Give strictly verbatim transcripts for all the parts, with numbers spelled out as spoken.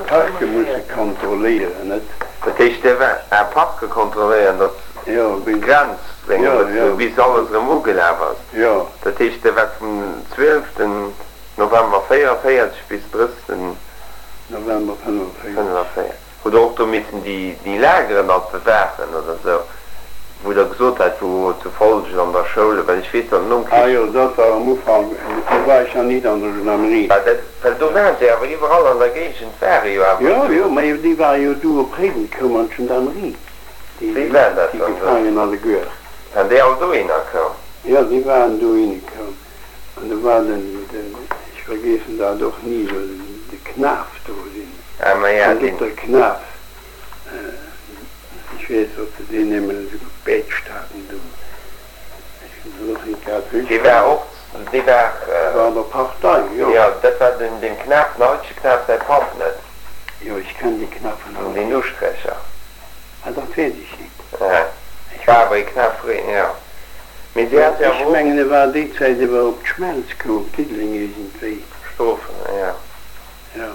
Parke musse kontrolléieren, net? Dat heescht, Dir waart Är Parke kontrolléieren, datt Jo, bis. d'Grenz Jo, jo. Bis alles erëm ugelaf ass. Jo. Dat heescht, Dir waart vum zwieleften November véierenvéierzeg bis drëssigsten November fënnefenvéierzeg. Fënnefenvéierzeg. Hutt Der och do missen déi, déi Lageren alt bewaachen oder esou, wou Der gesot hat, wou zu Folgen an der Schoul, well ech weess, datt nom Ah Krich. jo, dat war am Ufank, do war ech nach nit an der Gendarmerie. Well dat, well do waren se awer iwwerall an der Géigend ware jo awer Jo, esou. jo, mä déi ware jo du op Réiden koum an d'Gendarmerie, déi, Wéi war dat déi dann do? Gefaangen alleguer. Waren déi all dohinner koum? Jo, déi waren dohinner koum. An do war den, den, ech vergeessen dat och ni, do den, de Knaf do, den Ah, ma ja, deen. Kondukter Knaf, ech weess, datt se deen nëmmen esou gebätscht haten do. Ech hunn dat och nit grad Dee war och, dee war. Dee war an der Partei, jo. Jo, dat war den, dem Knaf, den haitege Knaf säi Papp, net? Jo, ech kenn déi Knaffen all Deen nit. Usträcher. Ah, dat weess ech nit. Ja, Ech war awer e Knaf, jo. Mee si hat jo Ech awer och. mengen, e war déi Zäit iwwer op d'Schmelz koum, op Diddeleng iergendwéi. Strofen, jo. Jo.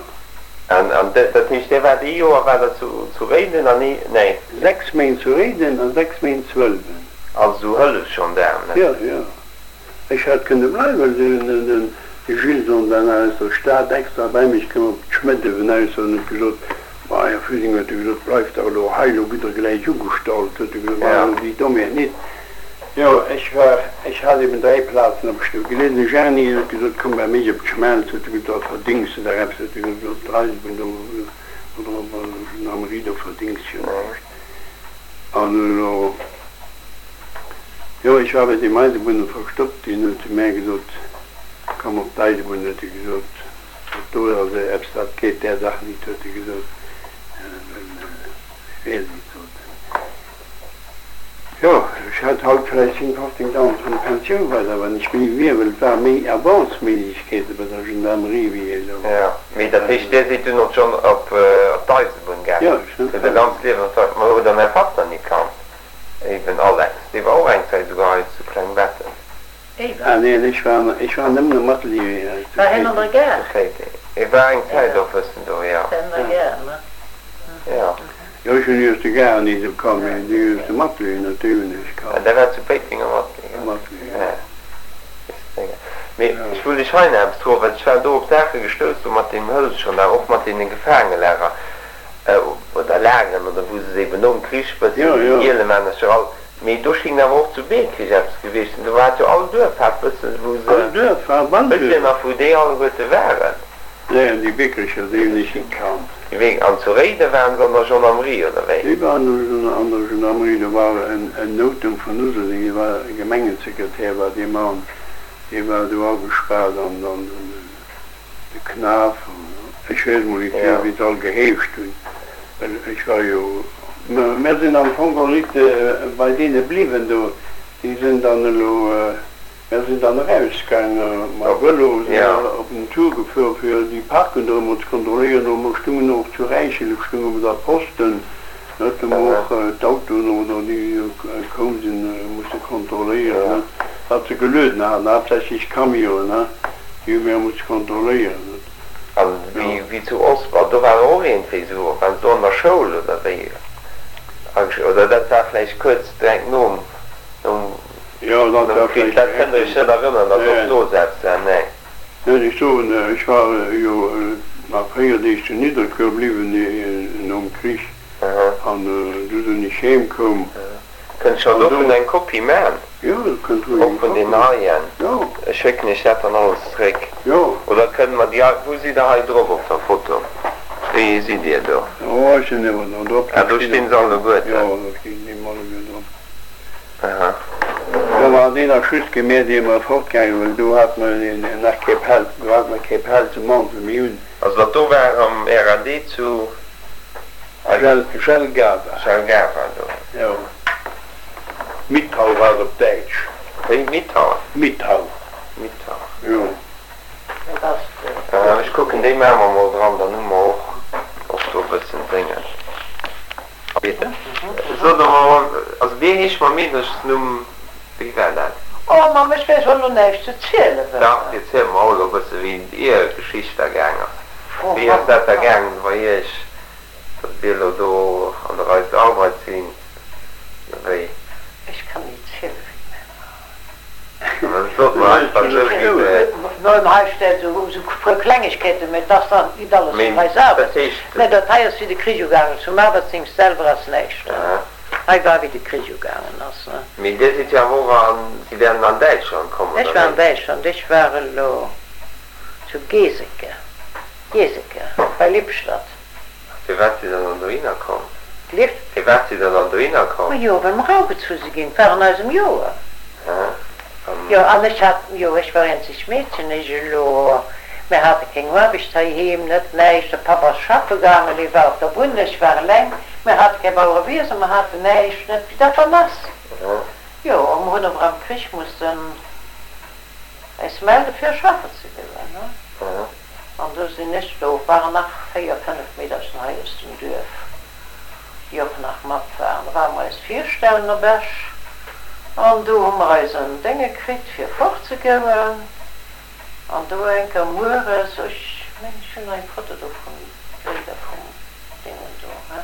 An, an dat, dat heescht, Dir waart ee Joer waart Der zu, zu Réiden an ee, nee. Sechs Méint zu Réiden a sechs Méint zu Ëlwen. Also sou Hëllefsgendaarm, ne? Jo, jo. Ech hätt kënne bleiwen, den, den, den Gilson war nach aus der Stad extra bei mech koum op d'Schmëddewen aus an huet gesot, Ma, Här Füding, huet e gesot, bleift dach elo hei, elo gitt Der gläich ugestallt, huet e gesot, maacht Ja. elo déi Dommheet nit. Jo, ech war, ech hat eben dräi Plazen op Stou geleeën. De Gerny huet gesot, komm bei mech op d'Schmelz, huet e gesot, da verdéngs de der eppes, huet e gesot, op d'Eisebunn do oder op der Gendarmerie, do verdéngs de jo näischt. An elo, jo, ech war bei deem Eisebunner verstoppt, deen huet zu mär gesot, komm op d'Eisebunn, huet e gesot, dat do ass eppes, dat geet där Sach nit, huet e gesot, well, ech weess nit, sot en. Jo, ech hätt haut vläicht zéng, fofzéngdausend vun der Pensioun, wat awer nicht méi wier, well et war méi Avance-Méiglechkeete bei der Gendarmerie wéi elo. Jo, mee dat heescht, Dir sidd dunn och schonn op d'Eisebunn gaangen? Jo, ech Hutt Är ganzt Liewen op d'Eisebunn. Ma hutt Der mäi Papp dann ni kannt? Eben Alex, dee war och eng Zäit souguer hei zu Klengbetten. Ah neen, ech war, ech war nëmmen am Atelier hei zu War hien an der Péiteng. Gare? Zu Péiteng. E war eng Zäit och bëssen do, jo. War an der Gare, ne? Jo. Jo, ech hunn déi aus der Gare ni esou kannt, mee déi aus dem Atelier natierlech hunn ech kannt. Der war zu Péiteng am Atelier, Am Atelier, jo. Jo. Mee ech wollt Iech hei nach eppes froen, well ech war do op Saache gestouss, do mat deem Hëllefsgendarm, och mat deene Gefaangelager oder Lageren oder wou se se eben nom Krich Jo, bëssen, jo. Gielemännercher all, mee do schéngt awer och zu Beekrich eppes gewiescht sinn, do hat jo all Duerf hat bëssen, wou se, All Duerf war wësst Dir Walduerf. nach wou déi alleguerte waren? Nee, déi Biekerecher, déi hunn ech nit kannt. Wéi, an zu Réiden waren se an der Gendarmerie, oder wéi? Déi waren an der Gendarmerie, do war en en Notem vun Useldeng, dee war Gemengesekretär war dee Mann, dee war do agespaart an dann den de Knaf, ech weess mol nit Ja. wéi se all geheescht hunn, well ech war jo, mer sinn am Fong och nit bei deene bliwwen do, déi sinn dann elo, mer sinn dann erausgaange mam Vëlo, sinn Ja. op den Tour gefuer fir déi Parken do emol ze kontrolléieren, do mer stungen och zu Räichel stunge mer da Posten, net, do mer och d'Autoen oder déi koum sinn musse kontrolléieren, Ja. net, wat se gelueden haten, haaptsächlech Camionen, ne, déi hu mir musse kontrolléieren, net. An Jo. wéi, wéi zu Osper, do war och iergendwéi esou, waren se do an der Schoul oder wéi? Oder dat war vläicht kuerz direkt nom, nom, Jo, dat nom war Krich, vläicht dat kënnt direkt Der Iech net erënneren, datt och nee. do esou eppes war? Nee. Nee, ech soen, ech war jo nach véier Deeg zu Nidderkuer bliwwen nom Krich Aha. an du sinn ech heem koum. Kënnt ech der An do. dovun eng Kopie man? Jo, der kënnt roueg Och eng vun Kopie den man. heien? Jo. Ech schécken Iech dat dann alles zréck. Jo. Oder kënne mer déi hei, wou sidd Der hei drop op der Foto? Wéi ee sidd Dir do? Oh, ech sinn iwwer do drop, Ah, do do stinn stinn och se vill. alleguerten. Jo, do stinn déi alleguer drop. Aha. Do war deen nach just gemeet, ier mer fortgaangen, well do hat mer nach kee Pelz, do hat mer kee Pelzemantel méi un. Also dat do war am R A D zu Jelgava. Jelgava do. Jo. Mitau war et op Däitsch. Wéi? Mitau? Mitau. Mitau. Jo. Ech kucken, déi maache mer mol dran, dann hu mer och och do e bëssen Déngen. Sot der mer mol, also wéi heescht mam Meederchesnumm, wéi war dat? Oh Mamm, ech weess och elo näischt ze zielen, Dach, wësse. erziel mer och elo e bësse wéi Ier Geschicht da gaang ass. Wéi ass dat da gaangen bei Iech, datt Dir elo do an der Eis Arbeit sinn, wéi? Ech kann nit zielen, wéi mir waren. Sot mer einfach esou, wéi se. Mä hei steet esou e puer Klengegkeeten, mä et ass dann nit alles vun Eis Arbeit. Mä dat hei ass, wéi de Krich ugaangen ass. Vum Arbeitsdienst selwer ass näischt. Hei war, wéi de Krich ugaangen ass. Mee Dir sidd jo awer och an, Sie wären an Däitschland komm, Ech oder war an wéi? Däitschland. Ech war elo zu Geseke, Geseke bei Lippstadt. Firwat sidd Der dann dohinner komm? Lift? Firwat sidd Der dann dohinner komm? Majo, well mer agezu si ginn. Et war an eisem Joer. Aha. An. Jo, an ech hat, jo, ech war eenzegt Meedchen. Ech elo, mir hate keng Aarbecht heiheem, net näischt. De Papp ass schaffe gaangen, hie war op der Bunn, ech war eleng. Mir hate keng Bauerewiesen, mer haten näischt, net wéi dat dann ass. Aha. Jo, a mer hunn awer am Krich mussen äis melde fir schaffen ze goen, ne. Aha. An do sinn ech, do waren nach véier, fënnef Meedercher hei aus dem Duerf, déi och nach mat waren. Da ware mer eis virstellen op Esch an do hu mer eisen Dénge kritt fir fortzegoen. An do enker mueres, ech mengen ech hunn nach eng Foto do vun Bléider vum Déngen do, he.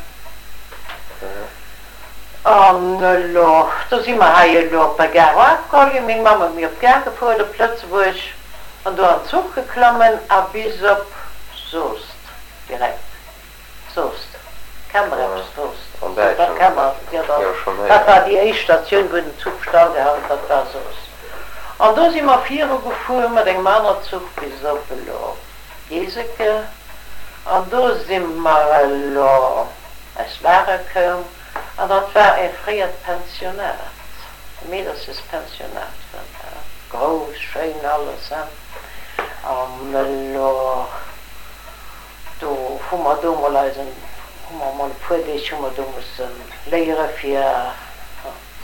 An elo, do si mer hei elo op der Gare afgeholl ginn. Meng Mamm huet mir op d'Gare gefuer op Lëtzebuerg an do an d'Zuch geklammen a bis op Soest direkt. Soest, kennt der eppes Soest? An Dat Däitschland, kennt mer, jo, jo, schonn dat war héieren. déi éischt Statioun, wou den Zuch stallgehalen huet, dat war Soest. An do si mer viru gefuer mat engem aner Zuch bis op elo Geseke an do si mer elo eis Lager koum an dat war e fréiert Pensionat, e Meederchespensionat war dat, grouss, schéin alles, hein. An elo do hu mer do mol eisen, hu mer mol e puer Deeg hu mer do musse léiere fir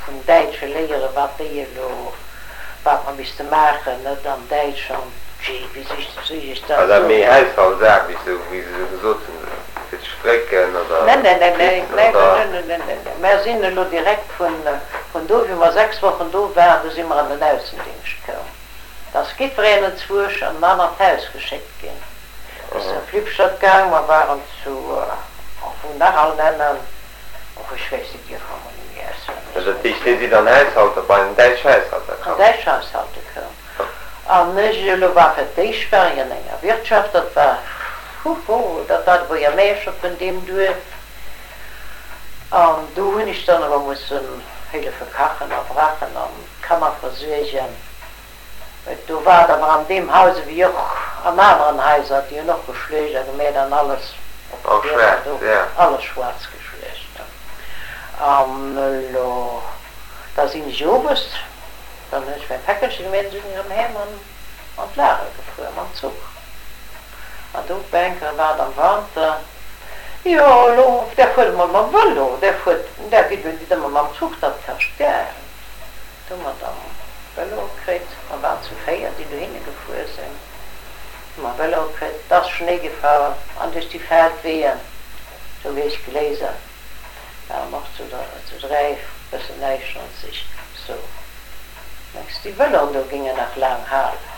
vun Däitsche léiere wat déi elo, wat mer misste maachen, net an Däitsch an, jee, wéi soll ech War dat dat méi soen? Haushaltsaarbecht, esou wéi se esou gesot hunn, fir ze strécken oder Neen, neen, neen, neen, bitzen neen, oder? neen, neen, neen, neen. Mär sinn elo direkt vun, vun do, wéi mer sechs Wochen do waren, do si mer an den Aussendingscht koum. Da ass jiddwereen enzwuesch an en anert Haus geschéckt ginn. Mir sinn op Lippstadt gaang, mer waren zu, och wou nach all nennen, och ech weess déi Dierfer emol net méi Also dat auswenneg. heescht, Dir sidd an Haushalter, bei en däitsch Haushalter An komm? däitsch Haushalte koum. An ech elo war fir d'éischt war ech an enger Wirtschaft, dat war, huhu, dat war de Buergermeeschter vun deem Duerf. An do hunn ech dann awer mussen hëllefe kachen a brachen an d'Kanner versuergen. Do war et awer an deem Haus ewéi och an aneren Haiser, déi hunn och geschluecht a gemeet an alles op den Och Dierfer schwaarz, do, ja. alles schwaarz geschluecht. An elo, da sinn ech owes, dann hunn ech mäi Päckelche gemeet an sinn ech erëm heem an an d'Lager gefuer mam Zuch. An do op eng Kéier war et am Wanter, jo elo, där fuert emol mam Vëlo, där fuert, där gitt elo nit ëmmer mam Zuch, dat kascht Geld. Do hu mer dann Vëloe kritt, mer waren zu véier, déi dohinne gefuer sinn, hu mer Vëloe kritt, et ass Schnéi gefall an duerch déi Feldweeën, sou wéi ech geléisen, ware mer och zu zu dräi, bëssen näischt sou. Mengs déi Vëloen do géingen nach laang halen?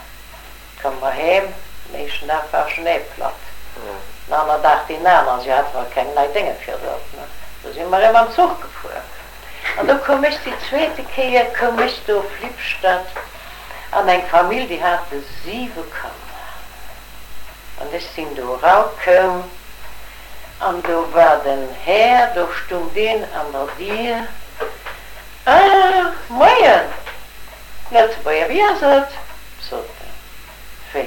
Komme mer heem, den éischten Dag war Schnéi platt, den aner Dag deen aneren, si hate mer keng nei Dénge fir drop, ne, du si mer erëm mam Zuch gefuer. An do koum ech déi zweete Kéier, koum ech do op Lippstadt an eng Famill, déi hate siwe Kanner. An ech sinn do erakoum an do war den Här, do stung deen an der Dier, Ah, moien, Lëtzebuerger, wéi ass et? sot en. Wéi,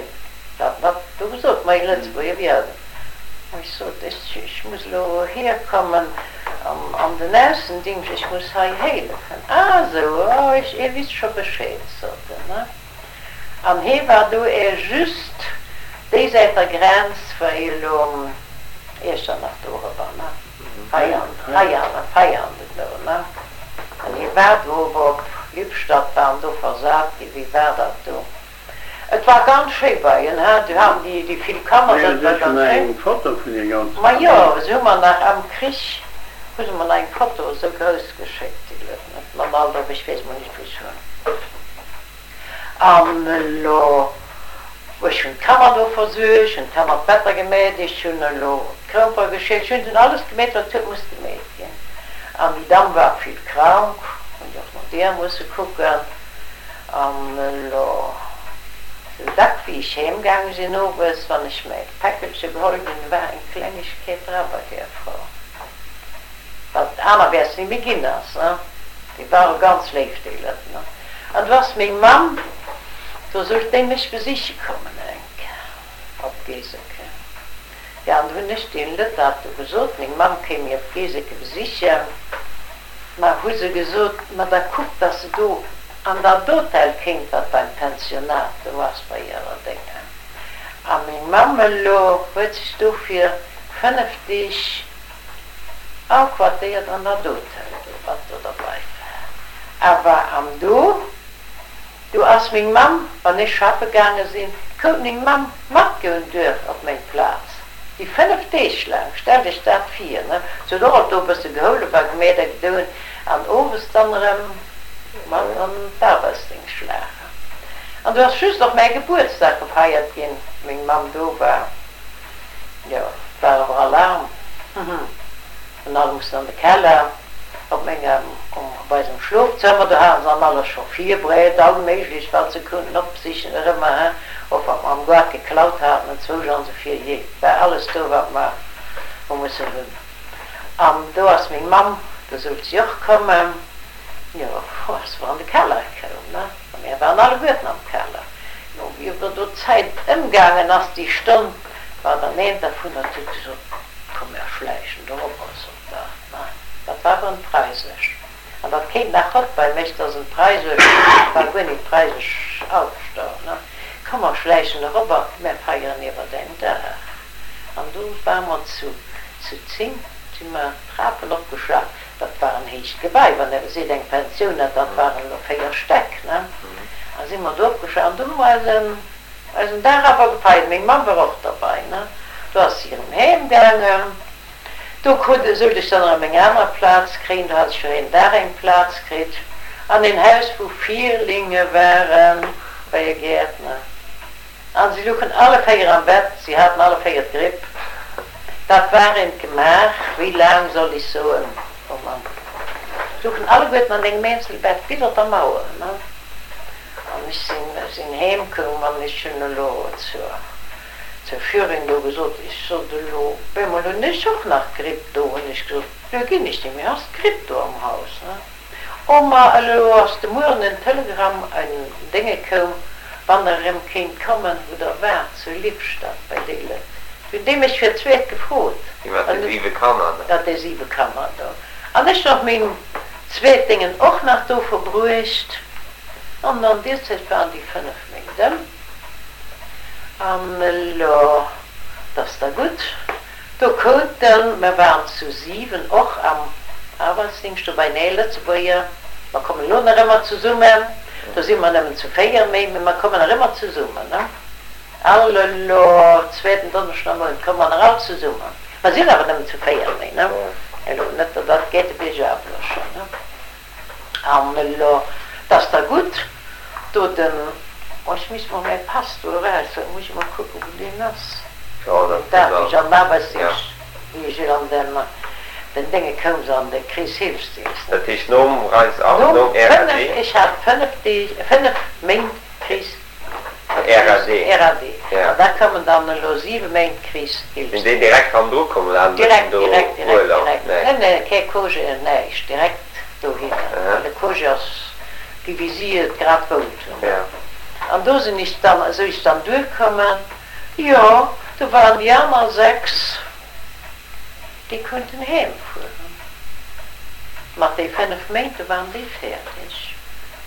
wat wat do gesot, Moien Lëtzebuerger, wéi ass et? Ech sot, ech, ech muss elo hierkommen an den Aussendingscht, ech muss hei hélefen. Ah esou, oh, ech, Dir wisst scho Bescheed, sot en, ne? An hee war do är just déi Säit der Grenz, war hie elo Iechternach do eriwwer, ne? Veianen, Veianen, Veianen do, ne? An hie war do ower op Lippstadt, war en do versat ginn, wéi war dat do? Et war ganz schéi bei en, he, du haten déi, déi vill Kanner, Mir dat war hu ganz nach schéin. eng Foto vun der ganzer Majo, Famill. se hu mer nach am Krich, hu se mer nach eng Foto esou grouss geschéckt, déi Leit net mam Alter, ech weess mol net wou ech hunn. An elo Ech hunn d'Kanner do versuergt, hunn d'Kanner d'Better gemeet, ech hunn elo d'Krompere geschielt, ech hunn alles gemeet, wat huet musse gemeet ginn. An déi Damm war vill krank, hunn ech och no deer musse kucken. An elo sou dack wéi ech heem gaange sinn owes, wann ech mäi Päckelche geholl hunn, war eng Klengegkeet dra bei deer Frau, wat anerwäerts ni méi ginn ass. Déi ware ganz léif, déi Lëtt. An du ass meng Mamm, do sollt déi mech besiche kommen eng Kéier op Geseke. Jo, an du hunn ech deenen Lëtt dat do gesot, meng Mamm kéim mir op Geseke besichen. Ma hu se gesot, ma da kuckt, dass se do an dat Hotel kéint, wat beim Pensionat do ass, bei hirer Déngen. A meng Mamm elo huet sech do fir fënnef Deeg Aquartéiert an dat Hotel do, wat do derbei war. Awer an do, do ass meng Mamm, wann ech schaffe gaange sinn, koum meng Mamm matgoen duerf op meng Plaz, déi fënnef Deeg laang, stellt iech dat vir, ne? Se huet och alt do e bësse gehoulef a gemeet a gedoen an owes dann erëm mat an d'Arbeitsdéngschtlager. An do ass just och mäi Gebuertsdag gefeiert ginn, meng Mamm do war. Jo, et war awer Alarm. An all mussen an de Keller op mengem, op eisem Schlofzëmmer. Do hate se dann alles scho virbereet, all méiglech wat se konnten opsichen erëmmer, he, och wat mer am Gaart geklaut haten enzwousch an esou vir. Jee, et war alles do wat mer hu mussen hunn. An do ass meng Mamm, do sollt si och kommen, jo, ass mer an de Keller koum, ne, a mär waren alleguerten am Keller. Jo, wéi awer do d'Zäit ëmgaangen ass, déi Stonn, war dann eent dervunner, dat huet gesot, Komm mär schläichen do op eis op der, ne, dat war awer en Preisesch, an dat kéint nach haut bei mech, dass en Preisesch war, guer nit preisesch aufstoen, ne, komm mer schläichen erobber, mär feieren iewer däin Dag. An do ware mer zu zu zéng, si mer d'Trapen opgeschlaff, dat war en héicht Gebai, wann Der seet eng Pensioun, dat waren elo véier Stäck, ne, a si mer do opgeschlaff, an do hu mer eisen Eisen Dag awer gefeiert, meng Mamm war och derbei, ne? Do ass si erëm heem gaangen. Do krut, sollt ech dann erëm eng aner Plaz kréien, do hat ech fir een Dag eng Plaz kritt an een Haus wou Vierlinge waren, bei e Gäertner. An si luchen alle véier am Bett, si haten alle véier d'Gripp. Dat war eent Gemaach, wéi laang soll ech soen, oh Mann, si luchen alleguerten an engem Eenzelbett bis op der Mauer, ne? An ech sinn, ech sinn heem koum an ech hunn elo zur, zur Führerin do gesot, ech sot elo, op eemol hunn ech och nach d'Gripp do, hunn ech gesot, elo ginn ech net méi, ass d'Gripp do am Haus, ne? Oh ma elo ass de Mueren en Telegramm, en Dénge koum, wann der erëm kéint kommen, wou der waart, zu Lippstadt bei déi Lëtt. Du hunn déi mech fir d'zweet gefrot. Déi mat de siwe Kanner do. Mat de siwe Kanner do. An ech hunn och meng zweet Déngen och nach do verbruecht. An an deer Zäit waren déi fënnef Méint ëm. An elo, 't ass da gutt, do kounten, mer waren zu siwen och am Arbeitsdienst do bei nee Lëtzebuerger, mer kommen elo nach ëmmer zesummen, do si mer nëmmen zu véier méi, mee mer kommen nach ëmmer zesummen, ne? All elo zweeten Donneschden am Mount komme mer nach all zesummen. Mer sinn awer nëmmen zu véier méi, ne? Elo net, datt dat geet de Bierg elo schonn, ne? An elo, 't ass da gutt, do den, oh, ech misst mol mäi Pass do eraushuelen, muss ech mol kucken, wou deen ass, deen Dag, wéi ech an den Arbeitsdienst, wéi ech an den, den Dénge koum, se an de Kreeshilfsdienst, ne. Dat heescht nom Reis an nom Nom R A D? fënnef, ech hat fënnef Deeg, fënnef Méint Krees. R A D, R A D. Ja. An da koumen dann elo siwe Méint Sinn déi Krichshilfsdienst. direkt hannendru komm oder haten se Direkt, schonn do direkt, direkt, Urlaub? direkt. Nee. Nee, nee, kee Congé, näischt, direkt dohinner. Aha. Well de Congé ass gi wéi si et grad wollt hunn. Ja. An do sinn ech dann, esou ech dann duerkommen, jo, do waren déi aner sechs, déi konnten heem fueren. Mat déi fënnef Méint, do waren déi fäerdeg.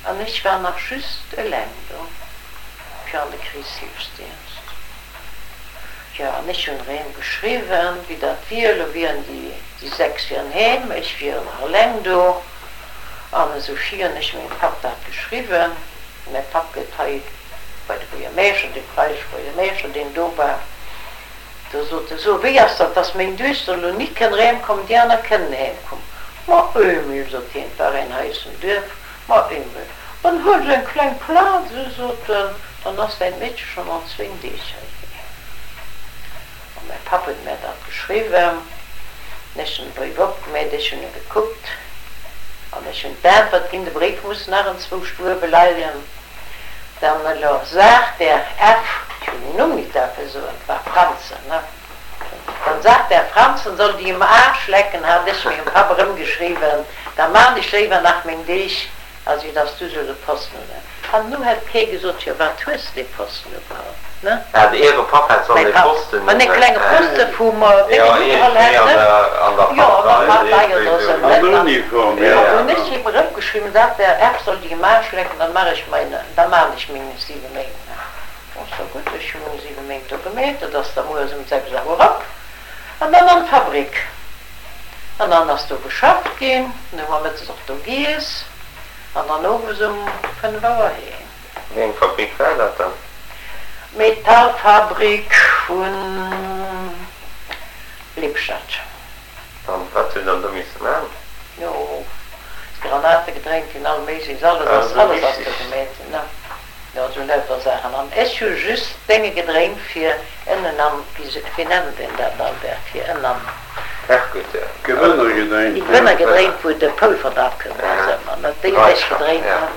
An ech war nach just eleng do fir an de Krichshilfsdienst. Jo, an ech hunn erém geschriwwen, wéi dat wier. Elo wieren déi, déi sechs wieren heem, ech wier nach eleng do. An esou vir hunn ech mengem Papp dat geschriwwen. Mäi Papp gëtt hei bei de Buergermeeschter, dee preisesche Buergermeeschter, deen do war. Do sot e, So, wéi ass dat, dass meng Duechter elo nit kënn erëmkommen, déi aner kënnen heemkommen? Ma Emil, sot hien, 't war een hei aus dem Duerf, ma Emil, dann huel se eng kleng Plaz, esou sot en, Dann ass däin Meedche schonn an zwéin Deeg heiheem. An mäi Papp huet mär dat geschriwwen. An ech hunn de Bréif opgemeet, ech hunn e gekuckt an ech hunn d'Äntwert ginn, de Bréif muss nach enzwousch uewe leien. Dann elo sagt der F, ech hunn den Numm nit däerfe soen, 't war Franzen, ne? Dann sagt der Franzen soll déi um Aarsch lecken, hat ech mengem Papp erëmgeschriwwen, da maan ech léiwer nach meng Deeg. Also dass du sou de Posten un. An nu hätt kee gesot, jo wat hues de dee Posten ugeholl, ne? Ah, de Äre Papp hätt sollen Mäi dee Papp, Posten ma nee, un. klenge Poste vu mer Jo, déngen ugeholl iergendwéi hätt, an ne? der, an der Jo, an der Partei, Partei iergendwéi oder sou. sou, An net? der An Uniform, Ja, jo. an ja. hunn ech him erëmgeschriwwen, dat der F soll déi am Aarsch lecken, dann mach ech meine, da maan ech meng siwe Méint nach. Ass da gutt, ech hu meng siwe Méint do gemeet, dat ass da mueres um sechs Auer op an dann an d'Fabrik. An dann ass do geschafft ginn, dann hu mer mëttes och do giess an dann owes um fënnef Auer heem. Wéi eng Fabrik war dat dann? Metallfabrik vu Lippstadt. An wat hutt Der do misse man? Jo, Granate gedréint ginn, all méiglechs, alles Ah, ass, esou alles ass do richtig. gemeet ginn, ne? Jo, esou lauter Saachen. An ech hu just Dénge gedréint fir ënnen am, wéi, wéi nennt een dat, Albert, fir ënn am. Herrgott, ja. Gewënner Déi gedréint, ja. Gewënner gedréint, wou de Polver dra koum ass ëmmer, ne? Déi hunn ech Dreischach, gedréint, ja. ne?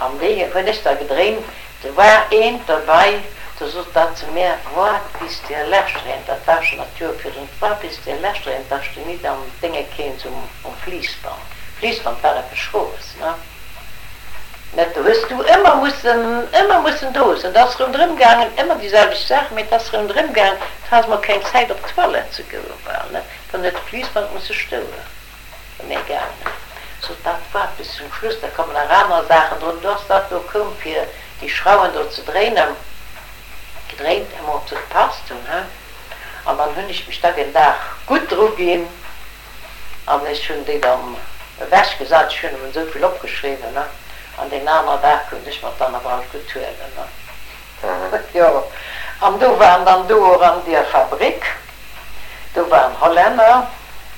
An déi hunn ech da gedréint. Do war eent derbei, do sot dat zu mär, Woart bis dir leschter eent, dat war schonn dat Joer virdrun, woart bis dir leschter eent, dass de nit an d'Dénge kéins um, um Fliissband. Fliissband war eppes Schroes, ne? Net do hues du ëmmer mussen, ëmmer mussen do sinn. Et ass ronderëm gaangen, ëmmer déi selwecht Saach, mee et ass ronderëm gaangen, du has mol keng Zäit op d'Toilette ze goen, bal net, dann huet de Fliissband musse stoen, wa mir gaangen. Sot dat waart bis zum Schluss, da kommen nach aner Saachen drun. Du ass dat do koum fir déi Schrauwen do ze dréinen, gedréint, emol ob se gepasst hunn, he. An dann hunn ech mech da den Dag gutt dru ginn an ech hunn déi dann ewech gesat, ech hunn emol esou vill opgeschriwwen, ne, an deen anere Dag konnt ech mer d'dan awer alt gutt huelen, ne. Jo, an do waren dann do och an deer Fabrik, do waren Hollänner,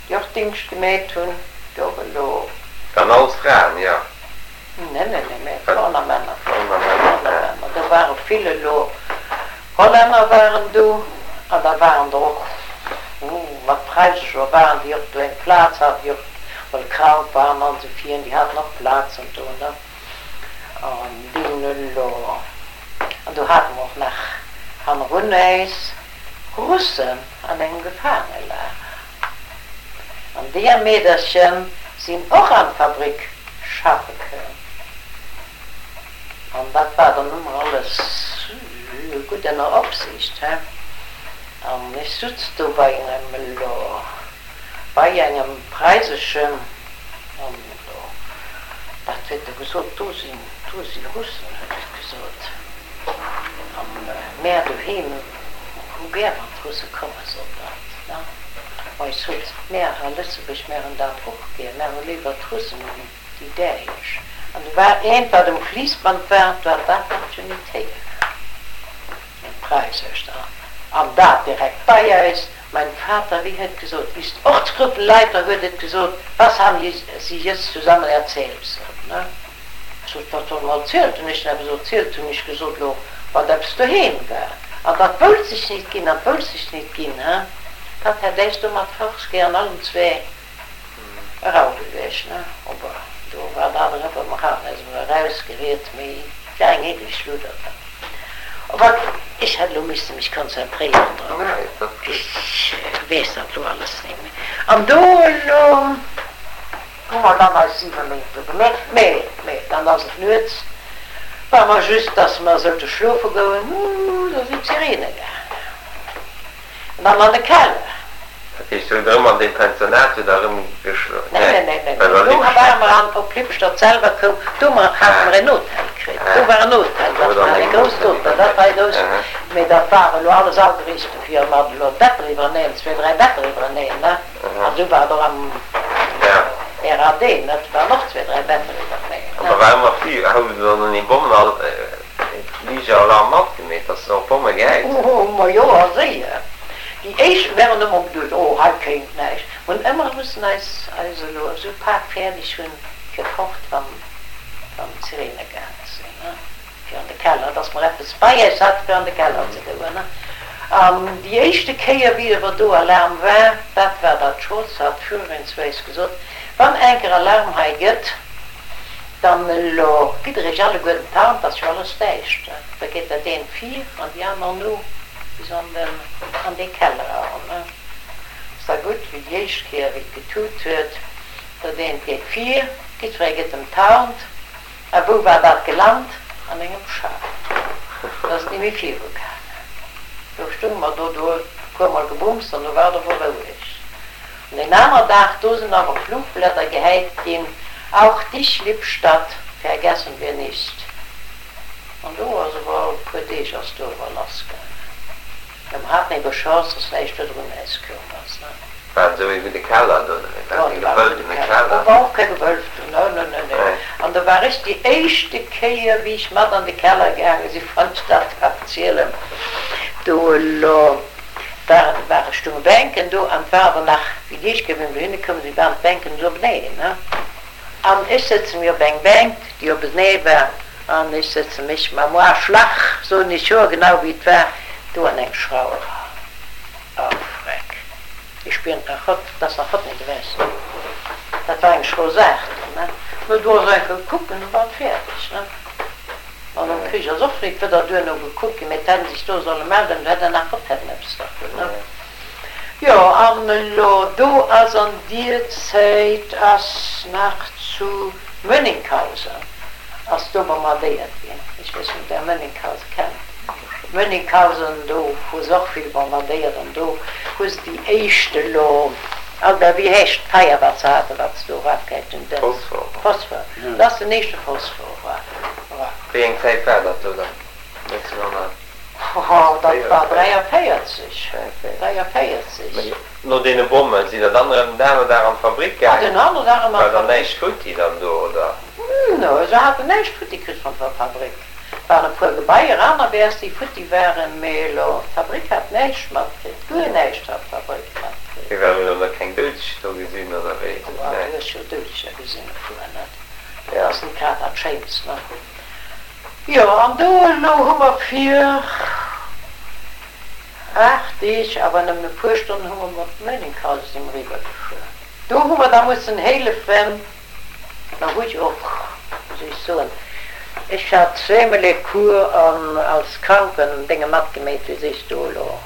déi och Dingscht gemeet hunn, déi och elo. Waren alles Fraen, jo? Nee, nee, nee, mee Fraen a Männer. Fraen a Männer, Fraen a Männer. Do ware vill elo Hollänner waren do an da waren der och mat Preisescher waren déi och do eng Plaz haten, déi och mol krank waren an esou virun, déi haten och Plazen do, ne. An déi hunn elo, an do hate mer och nach hannerun äis Russen an engem Gefaangelager. An deeër Meederchen sinn och an d'Fabrik schaffe koum. An dat war dann ëmmer alles gutt ënner Opsiicht, he. An ech sutz do bei engem elo, bei engem Preiseschen, an do, dat huet e gesot, do sinn, do si Russen, huet e gesot. An mär doheem hu gär, wann d'Russe kommen, sot dat, ne. Ma ech sot, mär a Lëtzebuerg, mär hunn dat och gär, mär hu léiwer d'Russen ewéi déi Däitsch. An do war eent, wat um Fliissband war, do hat dat dat jo nit héieren, en Preisescht, an dat direkt bei eis. Mein Vater, wéi huet gesot, ist Ortsgruppenleiter, huet et gesot, was haben Sie jetzt zusammen erzählt, sot, ne? Sot, wat soll mer erzielt hunn? Ech hunn eppes erzielt, hunn ech gesot, lo, wat eppes doheem war. An dat woult sech nit ginn, dat woult sech nit ginn, he? Dat hätt äis do mat Forstgé an allem zwee eraugeluecht, ne? Ober do war dat eriwwer, mer haten äis emol erausgeriet, mee et war eng heedlech Schludder dat. Ober ech hätt elo misste mech konzentréieren drop. Ech weess dat elo alles nit méi. An do elo hu mer dann eis siwe Méint do gemeet. Mee, mee dann ass et nuets, war mer just, dass mer sollte schlofe goen, do sinn d'Sirene gaangen. An dann an de Keller. Dat heescht, hutt Der erëm an deem Pensionat hutt Der erëm geschlof? Nee, nee, nee, nee, nee. Do ware mer an, op Lippstadt selwer koum, do hate mer en Hotel kritt. Do war en Hotel, dat war e grousst Hotel, dat war e grousst, mee dat war elo alles ageriicht dofir, mat elo Better iwwereneen, zwee, dräi Better iwwereneen, ne? An esou war et och am RAD, ne? Do waren och zwee, dräi Better iwwereneen, An ne? da war ëmmer Fli, hout Der dann een Bommen, Fliger-Alarm matgemeet, dass se och Bomme gehäit hunn? Oh, ma jo, a séier. Déi éischt, mär hunn ëmmer geduecht, oh, hei kéint näischt. Mer hunn ëmmer mussen eis eis elo esou pak fäerdeg hunn fir fort, wann wann d'Sirene gaange sinn, ne. fir an de Keller, dass mer eppes bei eis hat fir an de Keller ze goen. An déi éischte Kéier wéi awer do Alarm war, dat war dat Scholz hat virun zu eis gesot, wann enker Alarm hei gëtt, dann elo gitt der iech alleguerten d'Hand, et ass jo alles däischter, da geet dat eent vir an déi aner no bis an den, an dee Keller eran. Ass da gutt, wéi déi éischt Kéier wéi et getut huet, dat eent geet vir, jiddweree gëtt em d'Hand, a wou war dat gelant? An engem Schaf. Dat ass ni méi viru gaangen. Do stounge mer do, do huet e puer mol gebumst an do war et awer roueg. An deen aner Dag, do sinn awer Flugblätter gehäit ginn, Auch dich, Lippstadt, vergessen wir nicht. An do ass awer, e puer Deeg ass do awer lass gaangen. Jo, mer haten ebe Chance, dass näischt virdrun äis koum ass, ne? War et esou ee wéi de Keller do, oder wéi? War et e gewölbtene Keller? Do war och kee gewölbten, ne, ne, ne, ne. An do war ech déi éischte Kéier, wéi ech mat an de Keller gaange si, wann ech dat darf zielen, do elo war, ware stounge Bänken do an et war awer nach, wéi déi éischt Kéier, wéi mer dohinne koumen, si waren d'Bänken esou openeen, ne. An ech sëtze mir op eng Bänk, déi openee war, an ech sëtze mech mam Aarschlach, soen ech hoergenau wéi et war, do an eng Schrauw eran. Oh Freck, ech spieren et nach hott, et ass nach hott net ewech. Dat war eng schro Saach do, ne? No do ass eng Kéier kucken, du war et fäerdeg, ne? An nom Krich ass och nit wëdder duerno gekuckt ginn, mee et hätten sech do solle melden, do hätt der nach hott hätten eppes dervun, ne? Jo, an elo do ass an dier Zäit ass nach zu Mönninghausen ass do bombardéiert ginn. Ech weess net ob der Mönninghausen kennt. Mönninghausen, do hu se och vill bombardéiert an do hu se déi éischt elo, Albert, wéi heescht d'Feier wat se haten, wat se do erafgehäit hunn, den Phosphor. Phosphor, dat ass den éischte Phosphor eraf. Wéi eng Zäit war dat do dann? neunzehnhundert Oh, dat war dräiavéierzeg, dräiavéierzeg. Mee no deene Bommen, sidd der dann erëm den aneren Dag an d'Fabrik Ah, den gaangen? aneren Dag erëm an War dann d'Fabrik. näischt futti dann do, oder? No, se haten näischt futti kritt vun der Fabrik. Waren e puer Gebaier anerwäers, déi futti waren, mee elo d'Fabrik hat näischt matkritt, guer näischt hat d'Fabrik matkritt. Mee well mir elo nach keng Doudeg do gesinn, oder wéi? Oh, du Nee. hues jo Doudeger gesinn, e puer, net? Dat Ja. ass net grad dat Schéinst, ne? Jo, an do elo hu mer fir aacht Deeg, awer nëmmen e puer Stonnen, hu mer mat Mönninghausen si mer eriwwer gefuer. Do hu mer da mussen hélefen, da hu ech och, wéi soll ech soen, ech hat zweemol e Cours an als Krankendénge matgemeet, wéi sees du elo?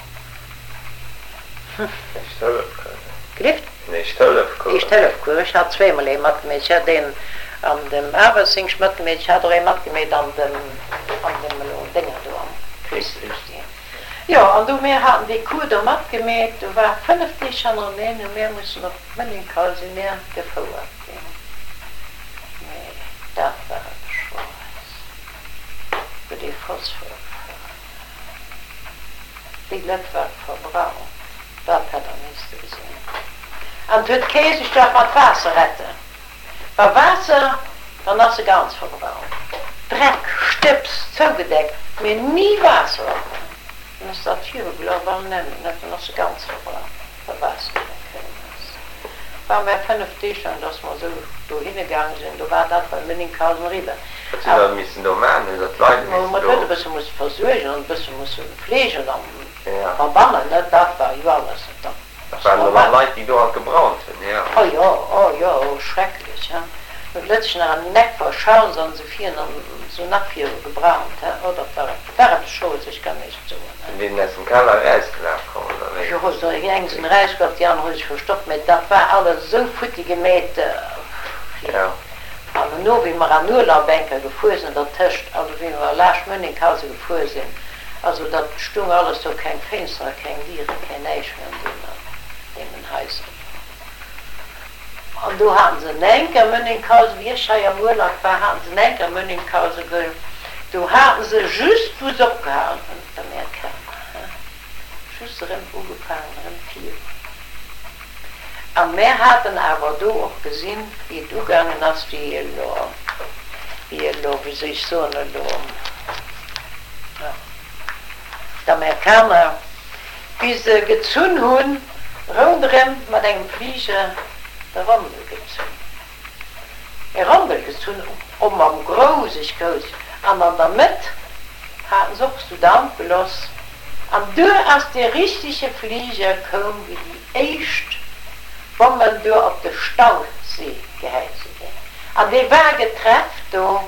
Éischt-Hëllef-Cours. Gelift? En Éischt-Hëllef-Cours. Éischt-Hëllef-Cours. Ech hat zweemol ee matgemeet. Ech hat een an dem Aarbechtsdingscht matgemeet, ech hat och ee matgemeet an dem, an dem elo Dénger do am Krichsdingscht. Jo, an du, mir haten dee Cours do matgemeet, do war fënnef Deeg hannereneen, hu mir mussen op Mënninkal, si mir gefouert ginn. Mee dat war eppes Schroes, wou dee Phosphor gefouert huet. Déi Lett war verbraucht, dat hätt der misste gesinn. An 't huet kee sech dach mat Waasser retten. Wa Waasser, dann ass se ganz verbraucht. Dreck, Stëbs, zougedeckt, mee ni Waasser op. Dann ass dat virugelaf an nëmmen net, dann ass se ganz verbraucht, wa Waasser net koum ass. War mär fënnef Deeg laang, dass mer esou dohinne gaange sinn, do war dat bei Münninghausen eriwwer. Wat hutt Der missen do maachen? Hutt Der d'Leit Ma missen mat huet do. e bësse musse versuergen an e bësse musse fleegen an Ja. verbannen, net? Dat war jo alles net. Dat Dat ass waren dann normal. Leit, déi do halt gebrannt hunn, jo. Oh jo, oh jo, oh schrecklech, he. Huet lëtzesch nach an den Eck verschaut an se virun an sou nach viru gebraunt, he. Oh dat war war eppes Schroes, ech kann näischt soen, he. Sinn deenen aus dem Keller erausgelaf komm, oder wéi? Jo, déi eng sinn erausgelaf, déi aner hu sech verstoppt, mä dat war alles esou futti gemeet, Ja. An elo wéi mer an Urlaub enker gefuer sinn, dertëscht, also wéi mer laascht Mönninghausen gefuer sinn, also dat stung alles do, keng Fénsteren, keng Dieren, keng näischt méi an deenen, deenen Haiser do. An do haten se enker Mönninghausen, wéi ech hei am Urlaub war, haten se enker Mönninghausen ge, do haten se just wou se opgehalen hunn, d'Amerikaner, he, just erëm ugefaangen, erëm virun. A mär haten awer do och gesinn, wéi et ugaangen ass, wéi elo, wéi elo, wéi soll ech soen, elo d'Amerikaner, wéi se gezunn hunn, ronderëm mat engem Fliger de Rondel gezunn, e Rondel gezunn, o mam Grouseg grouss, An an der Mëtt haten se och sou Damp geloss. An duer ass dee richtege Fliger koum, wéi déi éischt Bommen duer op de Stausee gehäit si ginn. An dee war geträfft do,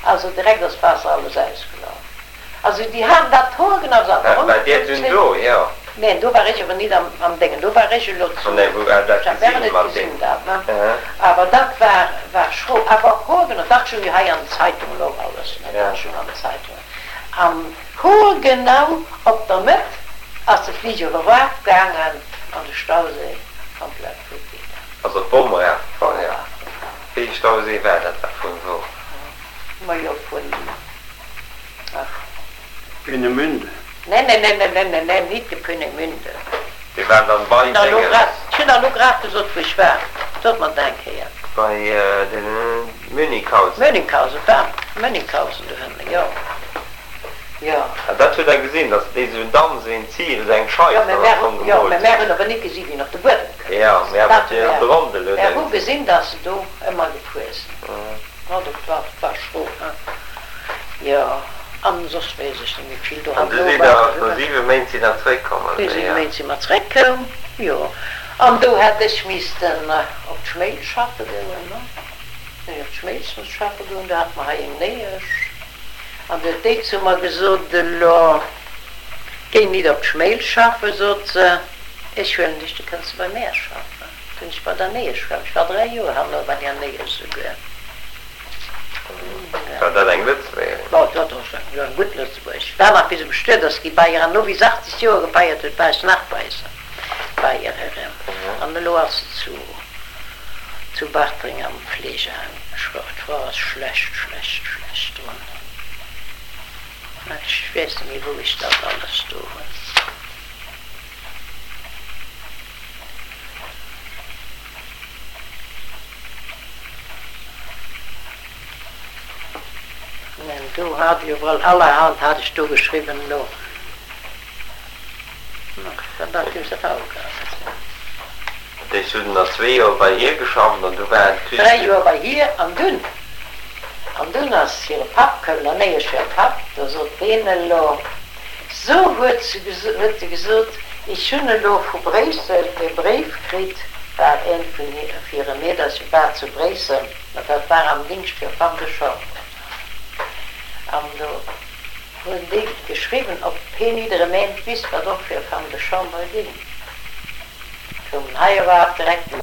also direkt ass d'Waasser alles ausgelaf. Also déi haten dat hoergenau, se haten War Dir dunn do? Jo. Neen, do war ech awer nit am am Déngen, do war ech elo zu, Nee, wou war dat ech hat gesinn net mat gesinn deem? dat, ne? Awer dat war war schro, awer hoergenau, dat stoung jo hei an den Zeitungen och alles, ne? Ja. Dat stoung an den Zeitungen. An hoergenau op der Mëtt ass de Fliger erafgaangen an de Stausee komplett futti. Also d'Bomm erafgefall, D'Bomm ja. erafgefall. Wéi ee Stausee war dat da vun wou? Majo vun, ach. Peenemünde. Nee, nee, nee, nee, nee, nee, nee, nit de Peenemünde. Dee war dann Ech bei hunn der elo Déngens. grad, ech hunn der elo grad gesot, wou ech war. Sot mer et eng Kéier. Bei de Münninghausen. Münninghausen, war Münninghausen dohënne, jo, jo. An dat hutt Der gesinn, datt déi esou en Damm, esou een Zil, esou eng Jo, Scheif mä dann mär am hu, Fong jo, mä gemoolt mär hunn. hunn awer nit gesi wéi en op de Buedem koum Jo, ass. mä awer Dat hu de mär, Rondel hutt mär Der hu gesinn. gesinn, datt se do ëmmer gefuer sinn. Jo, dat war, dat war schro, he. Jo, an soss weess ech net méi vill. Do An du herno sidd war Der, se no erëm. siwe Méint sidd Der zréckkomm, No oder? siwe Jo. Méint si mer zréckkoum, jo. An do hätt ech missten op d'Schmelz schaffe goen, ne. Hunn ech op d'Schmelz missen schaffe goen, do hate mer hei eng Néiesch. An du huet déi zu mer gesot, Elo géi nit op d'Schmelz schaffen, sot se, ech huelen dech, du kënns bei mär schaffen. Du hunn ech bei der Néiesch geschafft. Ech war dräi Joer herno bei där Néiesch souguer. War dat eng Lëtzebuergerin? Jo, dat ass eng, jo, eng gutt Lëtzebuergesch. War nach wéi se bestuet ass gi bei hir an no wéi se achtzeg Joer gefeiert huet, war ech nach bei se, bei hir erëm. An elo ass se zu, zu Bartreng am Fleegeheim. D'Fra ass schlecht, schlecht, schlecht drun. Ech weess net méi wou ech dat alles do hunn. Neen, do hat ech iwwerall allerhand hat ech do geschriwwen elo. Dat hues de faul gehat. Dat heescht, du hutt nach zwee Joer bei hir geschafft an du war Dräi Joer bei hir an dunn, an dunn ass hire Papp koum, der Néiesch hire Papp, do sot deen elo, So, huet se huet e gesot, ech hunn elo vu Bréissel e Bréif kritt, war eent vun hire Meedercher war zu Bréissel, ma dat war am Dingscht fir Femme de chambre, an do hunn déi geschriwwen, ob heen nit erëm eent wisst, wat och fir Femme de chambre ging. Koumen hei iwwerhaapt direkt.